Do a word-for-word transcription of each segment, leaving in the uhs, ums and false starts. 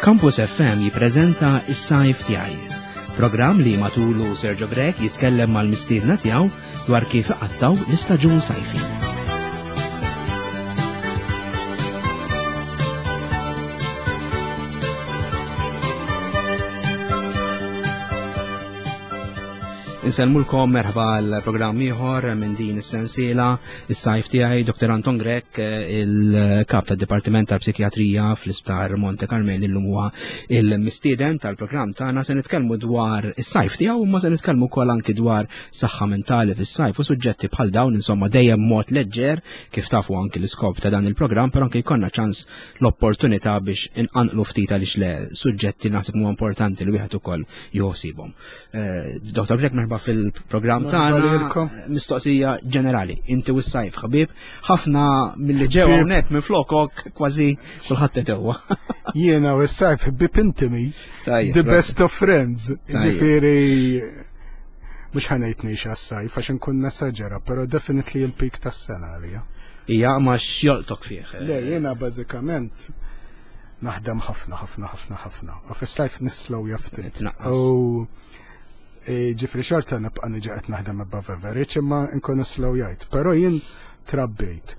Campus F M jippreżenta Is-Sajf Tiegħi. Programm li matulu Sergio Grech jitkellem mal-mistiedna tiegħu dwar kif iqattaw l-istaġun sajfi. Insellmulkom, merħba l-programm ieħor minn din is-sensiela Is-Sajf Tiegħi. Doktor Anton Grech, il-kap tad-Dipartiment tal-Psikjatrija fl-Isptar Monte Carmel, illum huwa il-mistieden tal-programm tagħna. Se nitkellmu dwar is-sajf tiegħu, imma se nitkellmu wkoll anki dwar saħħa mentali fis-sajf u suġġetti bħal dawn, insomma dejjem mod leġġer, kif tafu anki l-iskop ta' dan il-programm, però anki jkollna ċans, l-opportunità biex inqanqlu ftit, għaliex le suġġetti naħseb huwa importanti li wieħed ukoll joħsibhom. Eh, Doktor Grech, merħba fil-programm tagħna. Mistoqsija ġenerali, inti u s-sajf ħabib, ħafna mill-li ġew hawnhekk minn flokok kważi kulħadd etewwa. Jiena u s-sajf ħbib intimi, the best of friends. Ġifieri mhux ħa ngħid ngħix għas-sajf għax nkun nesaġera, però definitely il-peak tas-sena għalija. Ija, ma x'jolqtok fih? Le, jiena bażikament naħdem ħafna, ħafna, ħafna, ħafna. U fis-sajf nislow ftit. U e, ġifieri xorta nibqa' niġi qed naħdem above average, imma nkun slow jgħid. Però jien trabbejt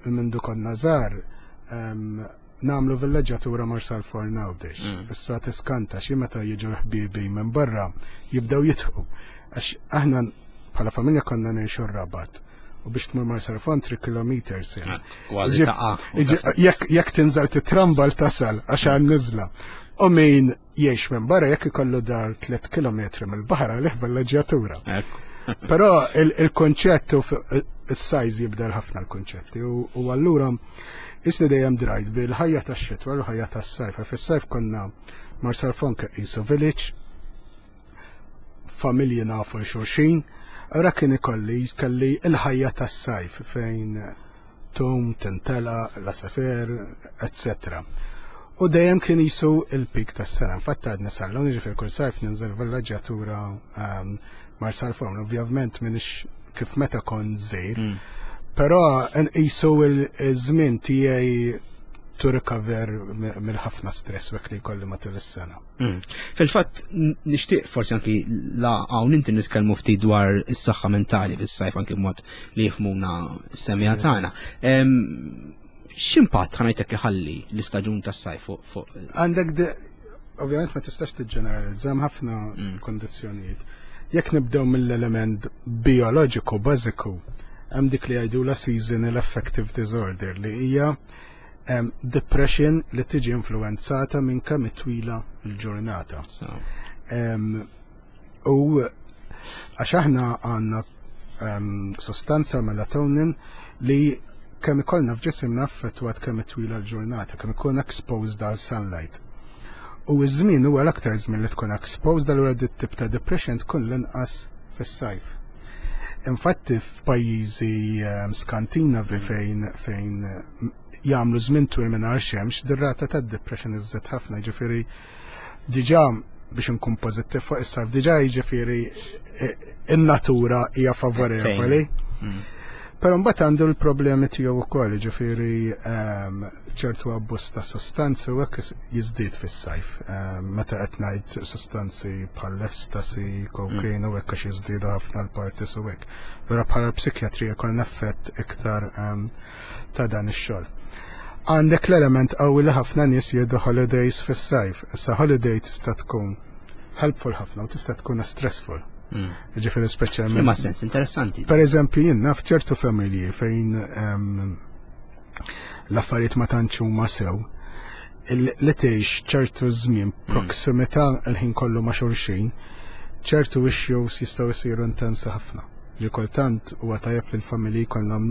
mindu konna żgħar nagħmlu villeġġatura Marsalforn, Għawdex. Mm. Issa tiskanta xi meta jiġu ħbibi minn barra jibdew jidħku. Għax aħna bħala familja konna ngħixu r-Rabat u biex tmur Marsalforn three kilometers. Jekk tinżel titrambal tasal għax għan nizla. U min jgħix minn barra, jekk ikollu dar tliet kilometri mill-baħar, għalih villeġġjatura. Però il-konċett u il-size jibdel ħafna l-konċetti u allura isni dejjem drajt bil-ħajja tax-xitwa u l-ħajja tas-sajf. Fis-sajf konna Marsalforn qisu village, familji nafu xulxin, Ora kien ikolli kelli il-ħajja tas-sajf fejn tum, tintela, l-għasafar, et cetera. U dejjem kien jisu il-peak tas-sena. Infatti għadni sal-lum, ġifieri kull sajf ninżel villeġġjatura um, Marsalforn. Ovvjament minix kif meta kont żgħir, mm. però nqisu il-żmien tiegħi to recover mill-ħafna stress wek li jkolli matul is-sena. Mm. Fil-fatt nixtieq forsi anki la hawn inti nitkellmu ftit dwar is-saħħa mentali fis-sajf, anki b'mod li jifhmuna s-semmiegħa mm. tagħna. X'impatt, ħa ngħidlek, iħalli l-istaġun tas-sajf fuq? Għandek, ovvjament ma tistax tiġġeneralizza, ħafna mm. kondizzjonijiet. Jekk nibdew mill-element bioloġiku bażiku, hemm dik li jgħidu la seasonal affective disorder, li hija um, depression li tiġi influenzata minn kemm twila l-ġurnata. Um, u għax aħna għandna um, sostanza melatonin li kemm ikollna f'ġisimna affettwat kemm twila l-ġurnata, kemm ikun exposed għal sunlight. U iż-żmien huwa l-aktar żmien li tkun exposed, allura dit tip ta' depression tkun l-inqas fis-sajf. Infatti f'pajjiżi um, Skandinavi fejn fejn jagħmlu żmien twil mingħajr xemx, dir-rata tad-depression iżżid ħafna, ġifieri diġà biex nkun pożittiv fuq is-sajf, diġà jiġifieri eh, in-natura hija favorevoli. Mm. Però mbagħad għandu l-problemi tiegħu wkoll, ġifieri ehm, ċertu abbuż ta' sostanzi u hekk jiżdied fis-sajf. Ehm, meta qed ngħid sostanzi bħal ecstasy, cocaine u hekk, għax jiżdiedu ħafna l-parties u hekk. Però bħala psikjatrija jkollna effett iktar ehm, ta' dan ix-xogħol. Għandek l-element qawwi li ħafna nies jieħdu holidays fis-sajf. Issa holiday tista' tkun helpful ħafna u tista' tkun stressful. Mm. Ġifieri speċjalment. Ma sens interessanti. Per eżempju, jien naf ċertu familji fejn l-affarijiet ma tantx huma sew, li tgħix ċertu żmien mm. proximità l-ħin kollu ma' xulxin, ċertu issues jistgħu jsiru intensi ħafna. Li kultant huwa tajjeb li l-familji jkollhom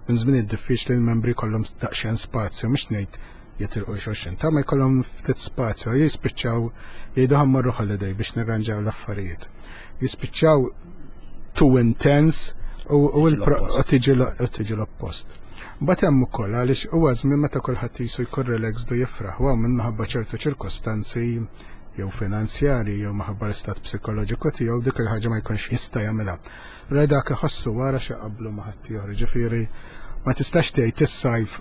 minn żmien diffiċli, l-membri jkollhom daqsxejn spazju, mhux ngħid jitilqu xulxin, ta' ma jkollhom ftit spazju, jispiċċaw jgħidu ħa mmorru holiday biex nirranġaw l-affarijiet. Jispiċċaw too intense u tiġi l-oppost. Mbagħad hemm ukoll għaliex huwa żmien meta kulħadd jisu jkun relaxed u jifraħ, u minn minħabba ċertu ċirkostanzi jew finanzjari jew minħabba l-istat psikoloġiku tiegħu dik il-ħaġa ma jkunx jista' jagħmilha. Ra dak iħossu wara xi qablu ma ħadd ieħor, ġifieri ma tistax tgħid is-sajf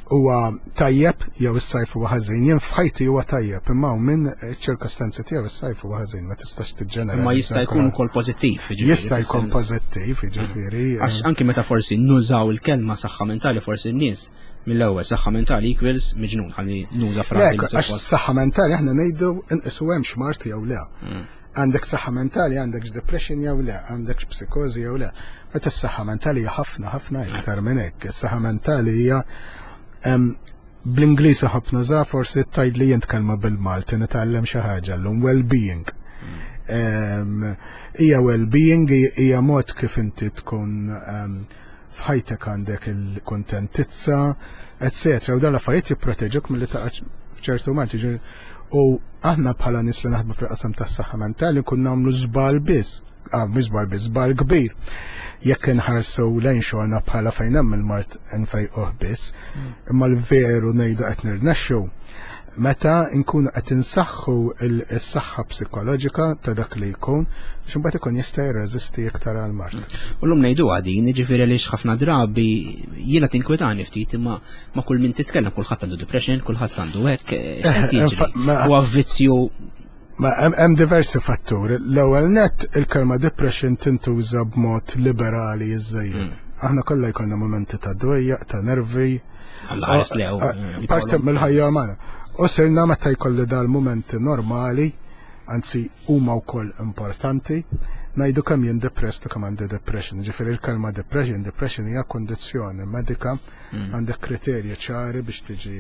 Huwa tajjeb jew is-sajf huwa ħażin. Jien f'ħajti huwa tajjeb, imma minn ċirkostanzi tiegħu is-sajf huwa ħażin, ma tistax tiġġenera. Imma jista' jkun ukoll pożittiv, jiġifieri, Jista' jkun fis-sens. pożittiv, jiġifieri. Għax anki meta forsi nużaw il-kelma saħħa mentali, forsi n-nies mill-ewwel saħħa mentali equals miġnun, ħalli nuża frażi li Lek, għax suppost. saħħa mentali aħna ngħidu inqisu hemm x'mard jew le. Għandek saħħa mentali, għandek depression jew le, għandek psikożi jew le. Meta s-saħħa mentali hija ħafna ħafna iktar minn hekk. Is-saħħa mentali hija em, bl-Ingliż ħafna za forsi tgħid li jint kelma bil-Malti nitgħallem xi ħaġa llum, well-being. Em, Hija well-being, hija mod kif inti tkun em, f'ħajtek għandek il-kontentizza, et cetera. U dan l-affarijiet jipproteġuk milli taqa' f'ċertu mard. Jiġifieri, u aħna bħala nies li naħdmu fil-qasam tas-saħħa mentali nkun nagħmlu żball biss, ah, mhux żball biss, żball kbir. Jekk inħarsu lejn xogħolna bħala fejn hemm il-mard nfejquh biss, imma l-veru ngħidu qed nirnexxu meta nkunu qed insaħħu s-saħħa psikoloġika ta' dak li jkun, biex imbagħad ikun jista' jirreżisti iktar għal mard. U l-lum ngħidu għadin, ġifieri għaliex ħafna drabi jiena tinkwetani ftit, imma ma kull min titkellem, kulħadd għandu depression, kulħadd għandu hekk, x'qed jiġri? ma- Huwa vizzju. Ma hemm hemm diversi fatturi. L-ewwel net, il-kelma depression tintuża b'mod liberali iżżejjed. Aħna kollha jkollna momenti ta' dwejjaq, ta' nervi. Alla ħares lew. Ah, Parti mill-ħajja umana. U sirna meta jkolli dal-momenti normali, anzi huma wkoll importanti, ngħidu kemm jien depressed u kemm għandi depression. Ġifieri il-kelma depression, depression hija kondizzjoni medika, għandek kriterji ċari biex tiġi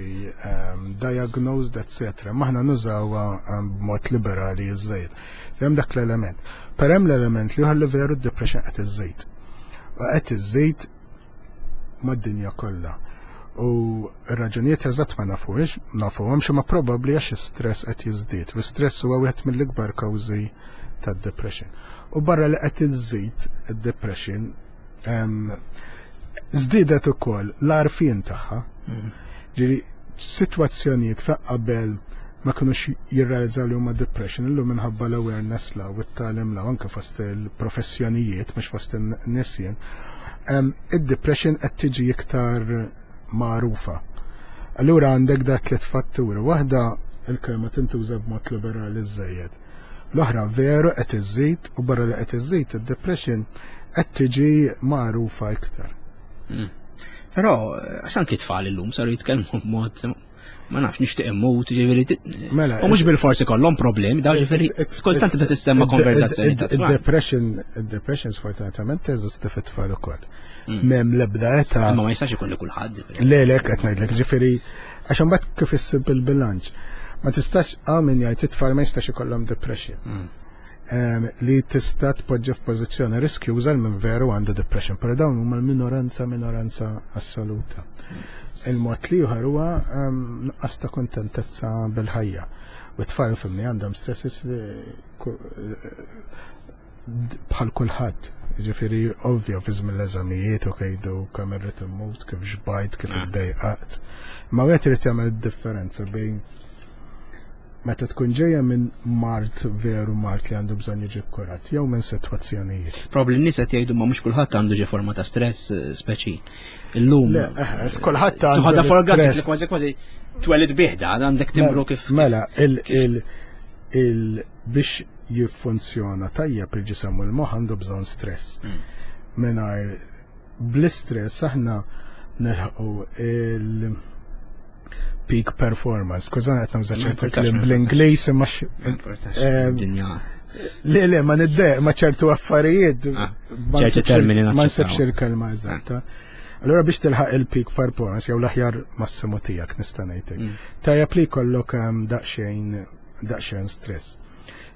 um, diagnosed, et cetera. M'aħna nużawha um, b'mod liberali iżżejjed. Hemm dak l-element. Per hemm l-element li li veru d-depression qed iżżejjed. U qed iżżejjed mad-dinja kollha. U r-raġunijiet eżatt ma nafuhiex, nafuhomx, imma probabbli għax is-stress qed jiżdied. U stress huwa wieħed mill-ikbar kawżi tad-depression. U barra li qed iżżid id-depression, em, żdiedet ukoll l-għarfien tagħha. Ġiri, sitwazzjonijiet fejn qabel ma kinux jirrealizzaw li huma depression, illum minħabba l-awareness la u t-tagħlim la anke fost il-professjonijiet, mhux fost in-nisjen, em, id-depression qed tiġi iktar magħrufa. Allura għandek da tliet fatturi. Waħda, il-kelma tintuża b'mod liberali żejjed. L-oħra, veru qed iżżid, u barra li qed iżżid id-depression qed tiġi magħrufa iktar. Però għax anki tfal illum saru jitkellmu b'mod, ma nafx, nixtieq immut, ġifieri Mela, u mhux bil-forsi kollhom problemi, daw ġifieri kultant tibda tissemma konverzazzjoni ta' tfal. Id-depression, id-depression sfortunatament teżisti fit-tfal ukoll. M'hemm l-ebda età. Imma ma jistax ikun li kulħadd. Ġifieri. Le, le, qed ngħidlek, ġifieri għax imbagħad kif issib il-bilanċ. Ma tistax, għamin jgħid it-tfal ma jistax ikollhom depression. Em, li tista' tpoġġi f'pożizzjoni riskjuża minn veru għandu depression, però dawn huma l-minoranza, minoranza assoluta. Il-mod li ieħor huwa em, nuqqas ta' kontentezza bil-ħajja. U t-tfal fimni għandhom stresses li ku- d- bħal kulħadd. Ġifieri ovvja fi żmien l-eżamijiet u kejdu kemm irrid immut, kif xbajt, kif Ah. iddejqaqt. Ma wieħed irid jagħmel id-differenza bejn meta tkun ġejja minn mard, veru mard li għandu bżonn jiġi kkurat, jew minn sitwazzjonijiet. Probabli n-nies qed jgħidu ma mhux kulħadd għandu ġi forma ta' stress eh, speċi. Illum Le, eh, kulħadd għandu tuħadha for granted l-istress. li kważi kważi twelid bih dan għandek timbru kif. Mela, il, il, il, biex jiffunzjona tajjeb il-ġisem u l-moħħ għandu bżonn stress. Mm. Mingħajr bl-istress aħna nilħqu il peak performance. Skużani, qed nuża Ma ċertu importax, kliem ma bl-Ingliż imma x- eh, Dinja. Le, le, ma niddejjaq ma ċertu affarijiet. Ah, ma ċerti nsibx il- termini Ma naċċettaw. nsibx il-kelma eżatta. Allora biex tilħaq il-peak performance jew l-aħjar massimu tiegħek nista' ngħidlek. Mm. Tajjeb li jkollok um, daqsxejn daqsxejn stress.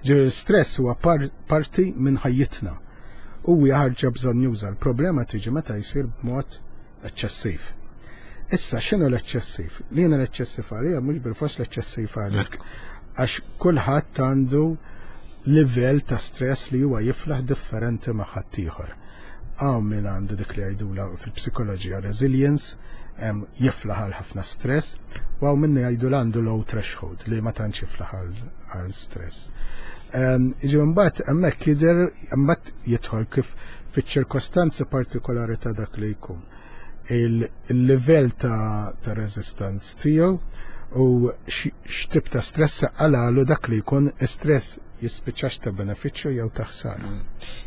Ġifieri stress huwa par parti minn ħajjitna. U hija ħarġa bżonn juża. L-problema tiġi meta jsir b'mod eċċessiv. Issa x'inhu l-eċċessiv? Li jiena l-eċċessiv għalija mhux bil-fors l-eċċessiv għalik. Għax kulħadd għandu livell ta' stress li huwa jiflaħ differenti ma' ħaddieħor. Hawn min għandu dik li jgħidula fil-psikoloġija resilience, em, jiflaħ għal ħafna stress, u hawn minni jgħidu għandu low threshold li ma tantx jiflaħ għal- għal stress. Iġi mbagħad hemmhekk jidher, mbagħad jidħol kif fiċ-ċirkostanzi partikolari ta' dak li jkun. il-livell ta', ta resistance tiegħu u x'tip ta' stress għalalu dak li jkun stress jispiċċax ta' benefiċċju jew ta' ħsara. Mm.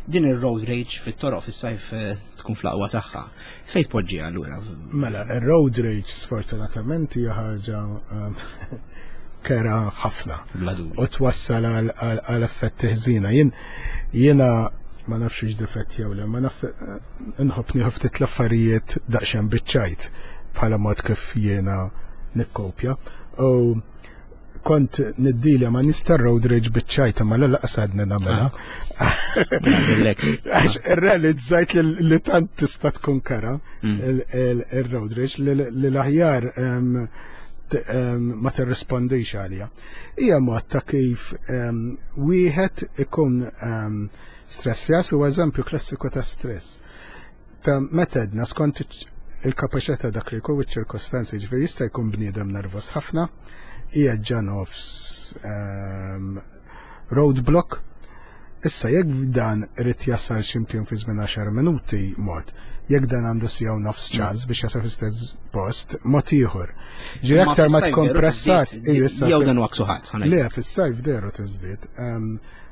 Din ir-road rage fit-toroq fis-sajf eh, tkun fl-aqwa tagħha. Fejn tpoġġi allura? Mela, ir-road rage sfortunatament hija ħaġa um, kera ħafna. U twassal għal effetti ħżina. Jien jiena ma nafx x'difett jew le, ma naf inħobb nieħu ftit l-affarijiet daqsxejn biċ-ċajt bħala mod kif jiena nikkopja. U kont niddilja ma nista road rage biċ-ċajt ma l lanqas għadni nagħmilha. Għax irrealizzajt li tant tista' tkun kera mm. il-road rage li l-aħjar ma tirrispondix għalija. Hija mod ta' kif wieħed ikun stressjas u eżempju klassiku ta' stress. Ta' meta edna skont il-kapaċità dak li jkun iċ-ċirkostanzi, ġifieri jista' jkun bniedem nervos ħafna, hija ġa nofs roadblock. Issa jekk dan irid jasal x'imkien fi żmien għaxar minuti mod, jekk dan għandu siegħa u nofs ċans biex jasal fl-istess post, mod ieħor. Ġi aktar ma tkun pressat. Jew dan huwa ksuħat. Le, fis-sajf deru tiżdied.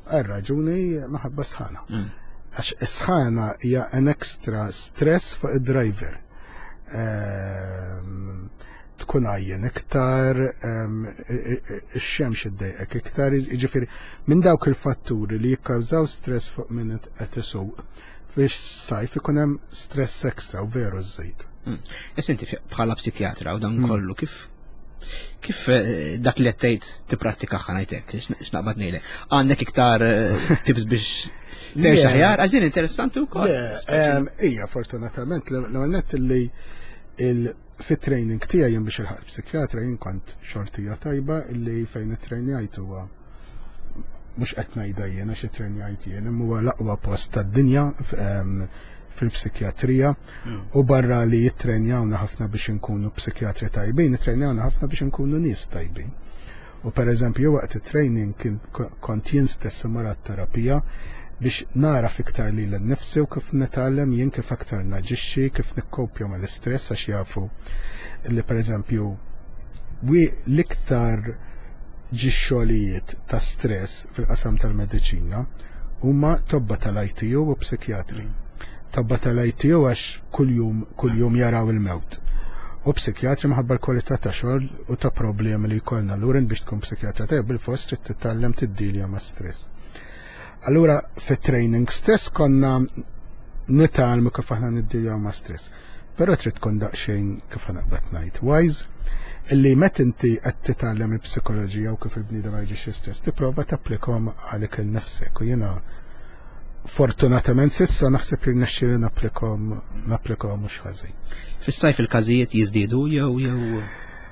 Għal raġuni maħabba sħana. Mm. Għax sħana hija an extra stress fuq id-driver. Ehm, tkun għajjen iktar, ehm, ix-xemx iddejqek iktar, ġifieri minn dawk il-fatturi li jikkawżaw stress fuq min qed isuq fis-sajf ikun hemm stress extra u veru żejt. Mm. Issa inti bħala psikjatra u dan mm. kollu kif kif eh, dak li qed tgħid tipprattika ħanajtek, x'naqbad ngħidlek. Għandek iktar eh, tips biex tgħix aħjar, għax din interessanti wkoll. Ija, fortunatament, l-għonet li fit-training tiegħi jien biex il-ħaq psikjatra jien kont xortija tajba illi fejn it-trainjajt huwa mhux qed ngħidha jien għax it-trainjajt jien imma huwa l-aqwa post tad-dinja fil-psikjatrija mm. u barra li jittrenjawna ħafna biex inkunu psikjatri tajbin, jittrenjawna ħafna biex inkunu nies tajbin. U per eżempju waqt it-training kien kont jien stess imur terapija biex nara fiktar li l-nifsi u kif nitgħallem jien kif aktar naġixxi, kif nikkopja mal-istress għax jafu li per eżempju l-iktar ġixxolijiet ta' stress fil-qasam tal-mediċina huma tobba tal-I T U u psikjatri. Tobba tal-I T U għax kuljum kuljum jaraw il-mewt. U psikjatri minħabba l-kwalità ta' xogħol u ta' problemi li jkollna. Allura biex tkun psikjatra tajjeb bil-fost trid titgħallem tiddilja ma' stress. Allura fit-training stess konna nitgħallmu kif aħna niddiljaw ma' stress. Però trid tkun daqsxejn, kif naqbad ngħid, wise illi meta inti qed titgħallem il-psikoloġija u kif il-bniedem ma jiġix stress tipprova tapplikhom għalik il-nefsek u jiena fortunatament s'issa naħseb li rnexxieli napplikhom napplikhom mhux ħażin. Fis-sajf il-każijiet jiżdiedu jew jew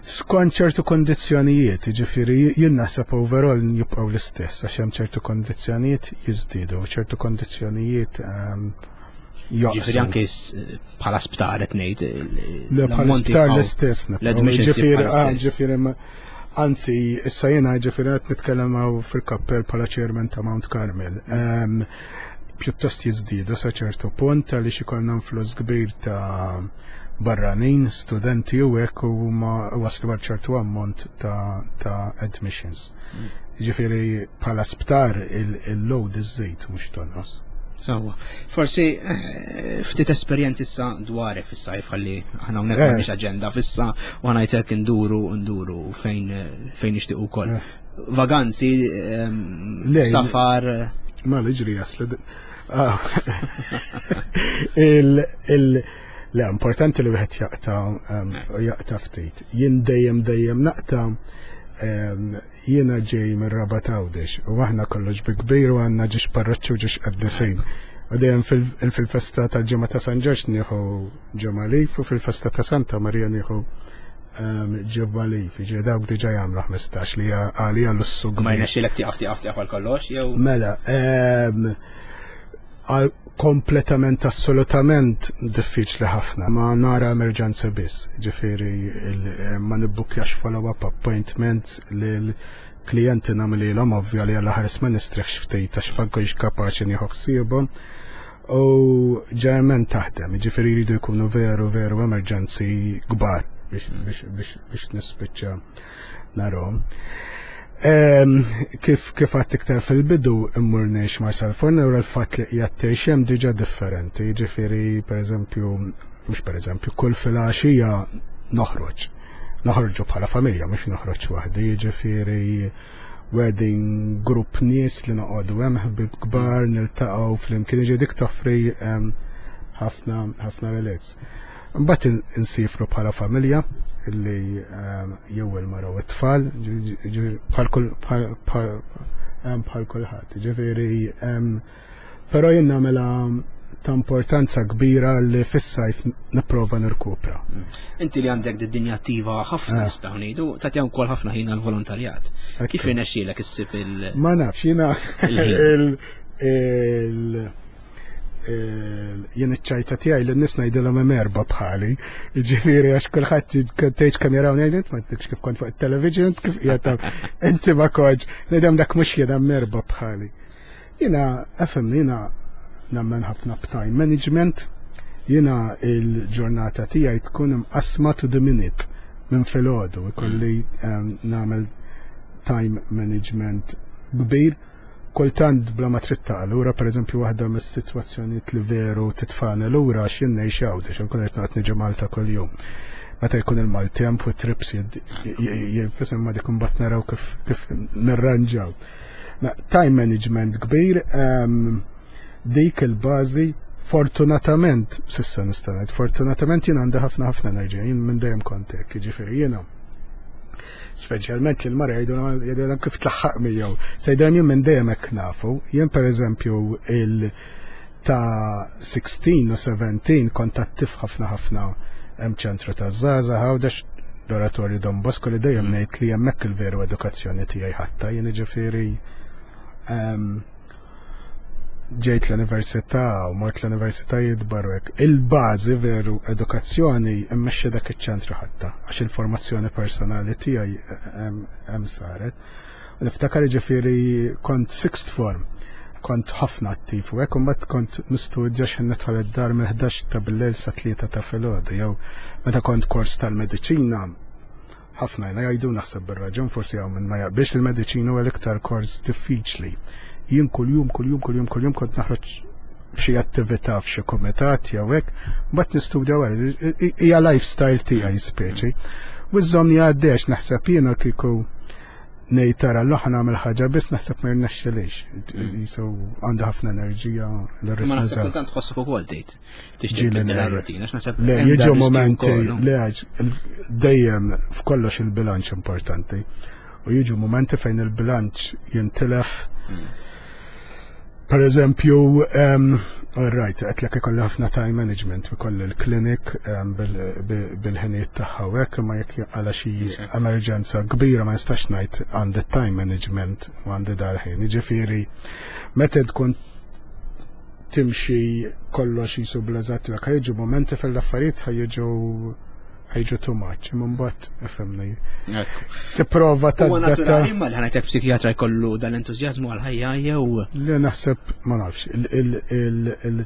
Skont ċertu kondizzjonijiet, ġifieri jien naħseb overall jibqgħu l-istess għax hemm ċertu kondizzjonijiet jiżdiedu, ċertu kondizzjonijiet um, Ġifieri anke bħala sptar qed ngħid. Le, bħala sptar l-istess. Ġifieri, ah, ġifieri anzi, issa jiena ġifieri qed nitkellem fil-kappell bħala chairman ta' Mount Carmel. Um, pjuttost jiżdiedu sa ċertu punt għaliex ikollna influss kbir ta' barranin, studenti u hekk u ma waslu għal ċertu ammont ta', ta admissions. Mm. Ġifieri bħala sptar il-load iżżid mhux tonqos. Sawa. Forsi eh, ftit esperjenzi issa dwarek fis-sajf ħalli aħna hawnhekk eh. m'għandniex aġenda fissa u ngħidlek nduru nduru fejn fejn nixtieq ukoll. Eh. Vaganzi, safar. Ma li ġri jaslu. Ah. Il il Le, importanti li wieħed jaqta jaqta ftit. Jien dejjem dejjem naqta. Jiena ġej minn Rabat Għawdex u aħna kollox bi kbir u għandna ġiex parroċċi u ġiex qaddisin. U dejjem fil-festa tal-ġimgħa ta' San Ġorġ nieħu ġimgħa leave u fil-festa ta' Santa Marija nieħu ġimgħa leave. Ġi dawk diġà jagħmlu ħmistax li għalija lussu. Ma jnexxilek tieqaf tieqaf tieqaf għal kollox jew? Mela, kompletament assolutament diffiċli ħafna, ma nara emerġenza biss, ġifieri ma nibbukjax follow-up appointments lil klijenti nagħmlilhom ovvja li għalla ħares ma nistrieħx ftit għax ma nkunx kapaċi nieħu ħsiebhom. U ġeneralment taħdem, ġifieri jridu jkunu veru veru emerġenzi kbar biex, biex, biex, biex nispiċċa narahom. Em, kif kif għedt iktar fil-bidu, immur ngħix Marsalforn u l-fatt li qiegħed tgħix hemm diġà differenti, jiġifieri pereżempju, mhux pereżempju, kull filgħaxija noħroġ. Noħorġu bħala familja, mhux noħroġ waħdi, jiġifieri wedding grupp nies li noqogħdu hemm, ħbieb kbar, niltaqgħu flimkien, jiġi dik toffri em, ħafna ħafna relax. Mbagħad in- insifru bħala familja illi em, jew il-mara u t-tfal, ġi- ġi- bħal kull bħal bħal em, bħal kulħadd. Ġifieri em, però jien nagħmilha ta' importanza kbira li fis-sajf nipprova nirkupra. Inti li għandek d-dinja attiva ħafna, Ah. nistgħu ngħidu, tagħti wkoll ħafna ħin għall-volontarjat. Kif Ekku. irnexxielek issib il- Ma nafx, jiena Il-ħin. il il il jien iċ-ċajta tiegħi li n-nies ngħidilhom hemm erba' bħali. Ġifieri għax kulħadd tgħid kemm jaraw ngħid ma tgħidx kif kont fuq it-television, kif qiegħed inti ma kontx. Ngħidhom dak mhux jien, hemm erba' bħali. Jiena efhimni, jiena nemmen ħafna b'time management. Jiena il-ġurnata tiegħi tkun imqasma to the minute minn filgħodu, ikolli em, nagħmel time management kbir, kultant bla ma trid lura. Pereżempju, waħda mis-sitwazzjonijiet li veru titfagħni lura għax jien ngħix Għawdex, nkun qed noqgħod niġi Malta kuljum. Meta jkun il-maltemp u trips jinfisem ma dik imbagħad naraw kif kif nirranġaw. Ma time management kbir, em, dik il-bażi. Fortunatament, s'issa nista' ngħid, fortunatament jien għandi ħafna ħafna enerġija, jien minn dejjem kont hekk, jiġifieri jiena speċjalment il-mara jgħidu jgħidu kif tlaħħaq miegħu. Tgħidilhom jien minn dejjem hekk nafu. Jien pereżempju il ta' sittax u sbatax kont attiv ħafna ħafna hemm ċentru ta' żgħażagħ Għawdex, l-Oratorju Don Bosco, li dejjem ngħid li hemmhekk il-veru edukazzjoni tiegħi ħatta. Jien ġifieri em, ġejt l-università u mort l-universitajiet barra hekk. Il-bażi veru edukazzjoni immexxi dak iċ-ċentru ħatta għax il-formazzjoni personali tiegħi hemm hemm saret. U niftakar ġifieri kont sixth form, kont ħafna attiv u hekk, u mbagħad kont nistudja x'ħin nidħol id-dar minn ħdax ta' bil-lejl sa tlieta ta' filgħodu, jew meta kont kors tal-mediċina, ħafna jena jgħidu, naħseb bir-raġun, forsi hawn minn ma jaqbilx, il-mediċina huwa l-iktar kors diffiċli. Jien kuljum, kuljum, kuljum, kuljum kont naħroġ f'xi attività, f'xi kumitat jew hekk, mbagħad nistudja wara. Hija lifestyle tiegħi speċi. U żżommni għaddejx naħseb jiena kieku ngħid tara l nagħmel ħaġa biss, naħseb ma jirnexxilix. Jisu għandu ħafna enerġija li rrid Ma naħseb nuża. kultant tħossok ukoll tgħid tixtieq Ġieli tibdel le. ir-rutina, għax naħseb Le, hemm jiġu dar riskju momenti, wkoll, no? le, għax dejjem f'kollox il-bilanċ importanti. U jiġu momenti fejn il-bilanċ jintilef. Per eżempju, um, all right, għedtlek ikolli ħafna time management, ikolli l-klinik um, bil-ħinijiet tagħha u hekk, imma jekk għala xi emerġenza kbira ma nistax ngħid għandi time management u għandi dal-ħin. Jiġifieri, meta tkun timxi kollox jisu bl-eżatt, ħa jiġu momenti fil-affarijiet ħa jiġu ħa jiġu too much, imma mbagħad ifhimni. Ekku. Tipprova Huwa tadatta. naturali ma li ħanajtek psikjatra jkollu dan l-entużjażmu għal-ħajja jew Li naħseb, ma nafx, il- il- il- il-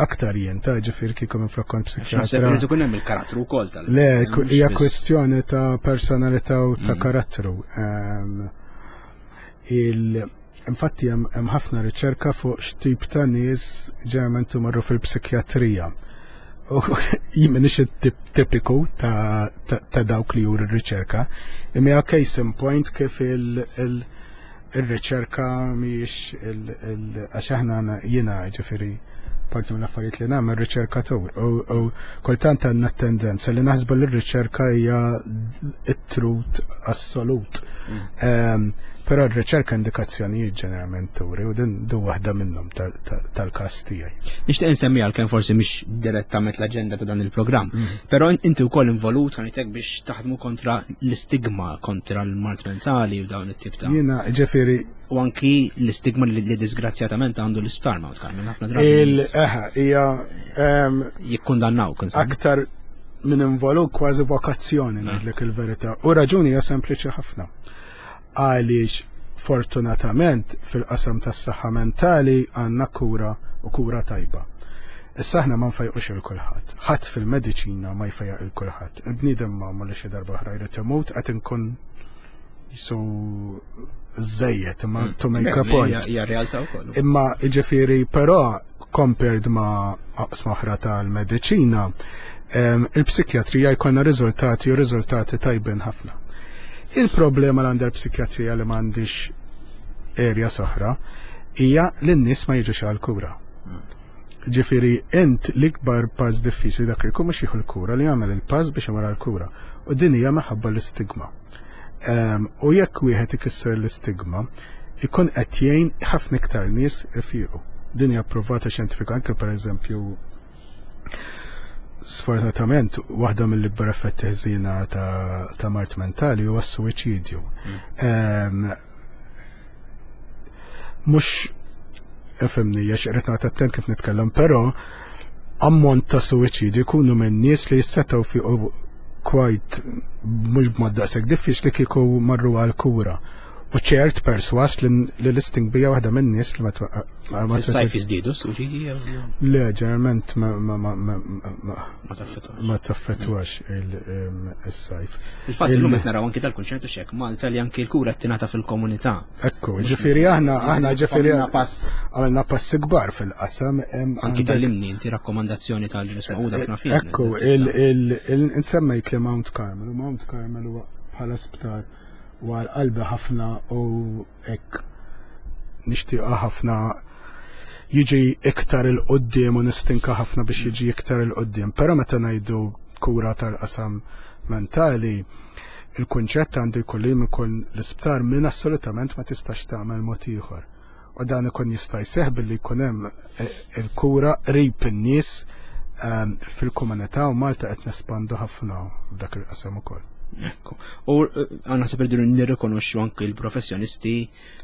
aktar jien ta' ġifieri kieku minn flok kont naħseb psikjatra. irid ikun hemm il-karattru wkoll tal. Le, ku- mhux hija biss- kwestjoni ta' personalità u ta' Mm. karattru. Ehm, il Infatti hemm hemm ħafna riċerka fuq x'tip ta' nies ġeneralment imorru fil-psikjatrija. U jien m'iniex it-tip tipiku ta' ta' ta' dawk li juru r-riċerka. Imma hija case in point kif il- il- ir-riċerka mhijiex il- il- għax aħna għandna- jiena ġifieri parti mill affarijiet li nagħmel riċerkatur u u kultant għandna tendenza li naħsbu li r-riċerka hija it-truth assolut. Ehm, Però r-riċerka indikazzjonijiet ġeneralment turi u din du waħda minnhom tal- tal- tal-każ tiegħi. Nixtieq insemmi għalkemm forsi mhix direttament l-aġenda ta' dan il-programm. Però inti wkoll involut ħanitek biex taħdmu kontra l-istigma kontra l-mard mentali u dawn it-tip ta' Jiena ġifieri u anki l-istigma li li disgrazzjatament għandu l-isptar Mount Carmel ħafna drabi il nies eħa hija ehm, jikkundannaw kun aktar minn involut, kważi vokazzjoni, ngħidlek il-verità. U raġuni hija sempliċi ħafna. Għaliex fortunatament fil-qasam tas-saħħa mentali għandna kura u kura tajba. Issa aħna ma nfejqux il kulħadd. Ħadd fil-mediċina ma jfejjaq il kulħadd. Il-bniedem ma li xi darba oħra jrid imut, qed inkun jisu żejjed imma mm. to make a point. Hija realtà wkoll. Imma jiġifieri però compared ma' oqsma oħra tal-mediċina, il-psikjatrija jkollna riżultati u riżultati tajbin ħafna. Il-problema l għandha l-psikjatrija li m'għandix area oħra hija li n-nies ma jiġux għal-kura. Ġifieri, int l-ikbar pass diffiċli dak li jkun mhux jieħu l-kura, li jagħmel il-pass biex imur għall-kura. U din hija minħabba l-istigma. U jekk wieħed ikisser l-istigma, ikun qed jgħin ħafna iktar nies ifiequ. Din hija approvata xjentifika anke, pereżempju, sfortunatament waħda mill-ikbar effetti ħżiena ta', ta mard mentali huwa s-suwiċidju. Mm. Mhux ifhimni, għax irrid noqgħod attent kif nitkellem, però ammont ta' suwiċidju jkunu minn nies li jistgħu fiqu quite mhux b'mod daqshekk diffiċli kieku marru għal kura. U ċert perswas li l-listing bija waħda minn nies li ma ma Sajf jiżdiedu suwiċidji? Le, ġeneralment ma ma ma ma ma taffettwax il-sajf. Il-fatt illum qed naraw anki dal-kunċertu xek Malta li anki l-kura tingħata fil-komunità. Ekku, ġifieri aħna aħna ġifieri pass għamilna passi kbar fil-qasam. Anki tal-imni inti rakkomandazzjoni tal-Ġnus Magħquda fna fih. Ekku, insemmejt li Mount Carmel, u Mount Carmel huwa bħala sptar u għal qalbi ħafna u hekk nixtieqa ħafna jiġi iktar il-qoddim u nistinka ħafna biex jiġi iktar il-qoddim. Però meta ngħidu kura tal-qasam mentali, il-kunċett għandu jkun li jkun l-isptar minn assolutament ma tistax tagħmel mod ieħor. U dan ikun jista' jseħħ billi jkun hemm eh, il-kura qrib in-nies ehm, fil-komunità, u Malta qed nespandu ħafna f'dak il-qasam ukoll. Ekku. U eh, għanna se perdu nirrikonoxxu anki l-professjonisti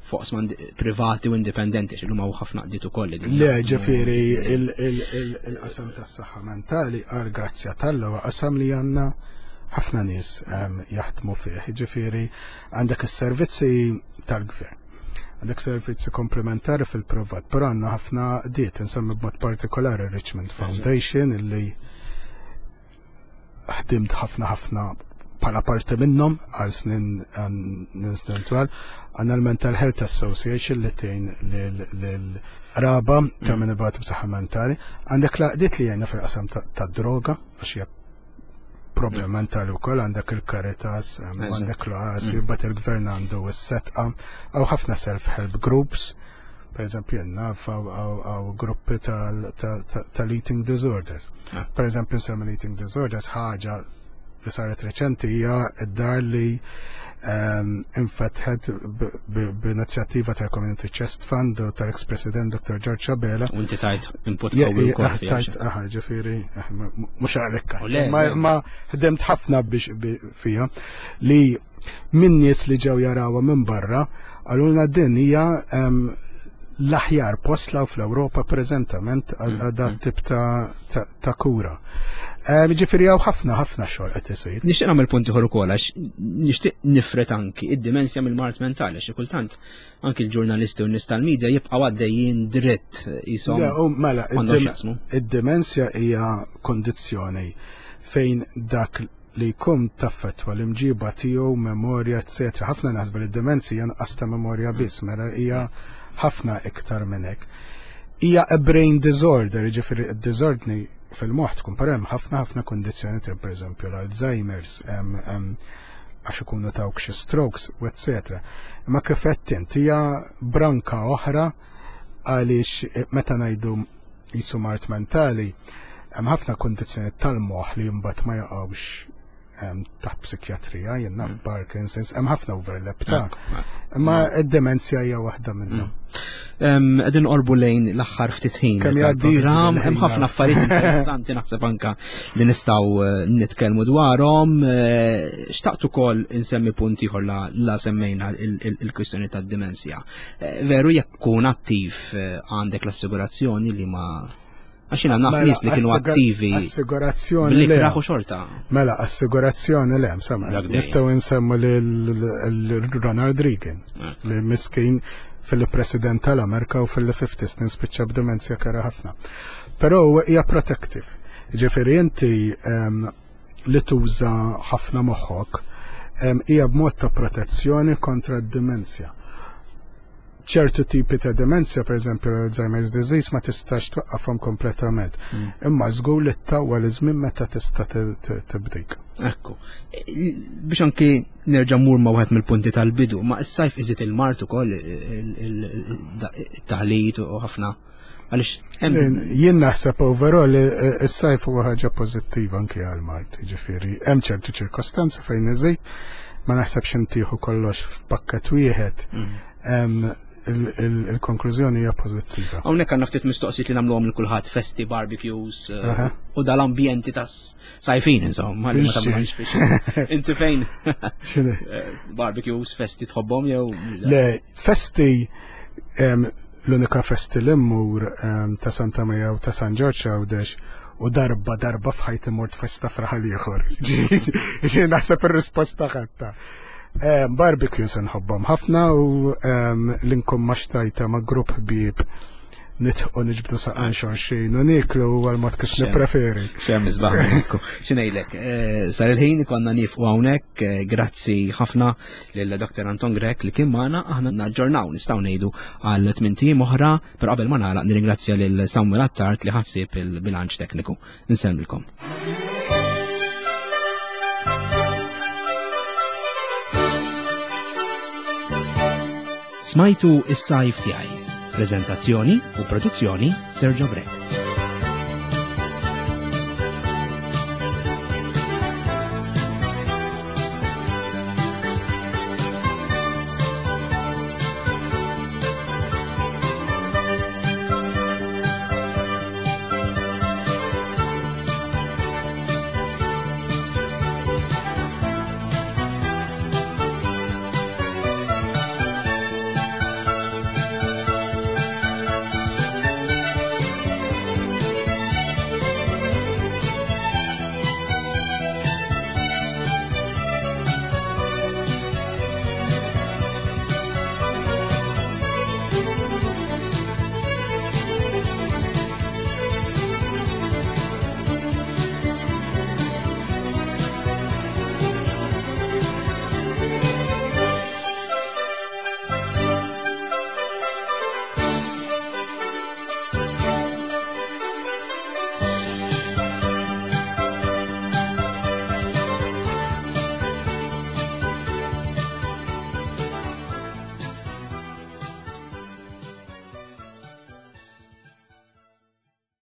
fuq privati u indipendenti, x'illum hawn ħafna qdiet ukoll. Le, ġifieri il-qasam tas-saħħa mentali, għal grazzja t'Alla, huwa qasam li għandna ħafna nies ehm, jaħdmu fih. Ġifieri għandek is-servizzi tal-gvern. Għandek servizzi komplementari fil-privat, però għandna ħafna diet, insemmi b'mod partikolari Richmond Foundation, illi ħdimt ħafna ħafna bħala parti minnhom għal snin snin twal. Għandna l-Mental Health Association li tgħin lil-raba ta' min ibatu b'saħħa mentali. Għandek l-għaqdiet li jgħinna fil-qasam ta' droga, għax hija problem mentali wkoll, għandek il-Caritas, għandek l-O A S I, mm. bat il-gvern għandu s-Sedqa, għaw ħafna self-help groups, per eżempju, naf għaw gruppi tal-eating disorders. Ah. Per eżempju, nsemmi l-eating disorders, ħaġa li saret reċenti hija id-dar li ehm, infetħet b'inizjattiva tal-Community Chest Fund u tal-ex-President Doctor George Abela. U inti tajt input qawwi wkoll. Tajt, aha, ġifieri, eh, mhux għalhekk. Ma ħdemt ħafna biex fija li minn nies li ġew jarawha minn barra għalulna din hija ehm, l-aħjar post law fl-Ewropa preżentament għal mm, dat mm. tip ta' ta' kura. Eh, ġifieri hawn ħafna ħafna xogħol qed isir. Nixtieq nagħmel punt ieħor ukoll, għax nixtieq nifret anki id-dimensja mill-mard mentali, xi kultant anki l-ġurnalisti u n-nies tal-medja jibqgħu għaddejjin dritt jisom. Mela, id-dimensja hija kondizzjoni fejn dak li jkun taffetwa l-imġiba tiegħu, memorja, eċċetera. Ħafna naħsbu li d-demenzja nqas ta' memorja biss, mela hija ħafna iktar minn hekk. Hija a brain disorder, jiġifieri d-disordni fil-moħħ tkun, però hemm ħafna ħafna kondizzjoni, per eżempju l-Alzheimer's, għax ikunu tawk xi strokes, u eċċetera. Imma kif qed int, hija branka oħra, għaliex meta ngħidu jisu mard mentali, hemm ħafna kondizzjoni tal-moħħ li mbagħad ma jaqgħux taħt psikjatrija, jien naf mm. Parkinson's, hemm ħafna overlap ta' imma id-demenzja hija waħda minnhom. Mm. Qegħdin qorbu lejn l-aħħar ftit ħin. Kemm jgħaddi Hemm ħafna affarijiet interessanti naħseb anka li nistgħu eh, nitkellmu dwarhom. Eh, xtaqt ukoll insemmi punt ieħor la, la semmejna il-kwistjoni tad-dimensja. Eh, veru jekk kun attiv għandek l-assigurazzjoni li ma, għax jiena naf nies li kienu attivi. Assigurazzjoni. Li kraħu xorta. Mela, assigurazzjoni le, insomma. Nistgħu nsemmu lil Ronald Reagan, eh. li miskin fil-President tal-Amerika u fil-fifty snin spiċċa b'demenzja kera ħafna. Però hija protective. Ġifieri inti li tuża ħafna moħħok hija b'mod ta' protezzjoni kontra d-demenzja. Ċertu tipi ta' demenzja, per eżempju l-Alzheimer's disease, ma tistax twaqqafhom kompletament. Imma żgur li ttawwal iż-żmien meta tista' tibdik. Ekku. Biex anki nerġa' mmur ma' wieħed mill-punti tal-bidu, ma s-sajf iżid il-mard ukoll it-taħlit u ħafna. Għaliex jien naħseb overall is-sajf huwa ħaġa pożittiva anki għall-mard, jiġifieri hemm ċertu ċirkostanzi fejn iżid, ma naħsebx intieħu kollox f'pakket wieħed. Il-konklużjoni hija pożittiva. Hawnhekk għandna ftit mistoqsijiet li nagħmluhom lil kulħadd, festi, barbecues u dal-ambjenti ta' sajfin insomma, li ma tagħmilx biex. Inti fejn? Barbecues, festi tħobbhom jew? Le, festi l-unika festi li mmur ta' Santa Maria u ta' San Ġorġ Għawdex u darba darba f'ħajti mort festa fraħal ieħor. Ġi naħseb ir-risposta ħatta. Barbecues nħobbhom ħafna u l-inkom ma xtajta ma' grupp ħbieb nitħu niġbdu saqan xorxin u niklu għal mod kif nippreferi. Xem isbaħ. X'ngħidlek, sar il-ħin konna nifqu hawnhekk, grazzi ħafna lil Doktor Anton Grech li kien magħna, aħna naġġornaw nistgħu ngħidu għal tmien ijiem oħra, però qabel ma nagħlaq nirringrazzja lil Samuel Attard li ħassib il-bilanċ tekniku. Insellmilkom. Smajtu is-sajf tiegħi. Prezentazzjoni u produzzjoni Sergio Grech.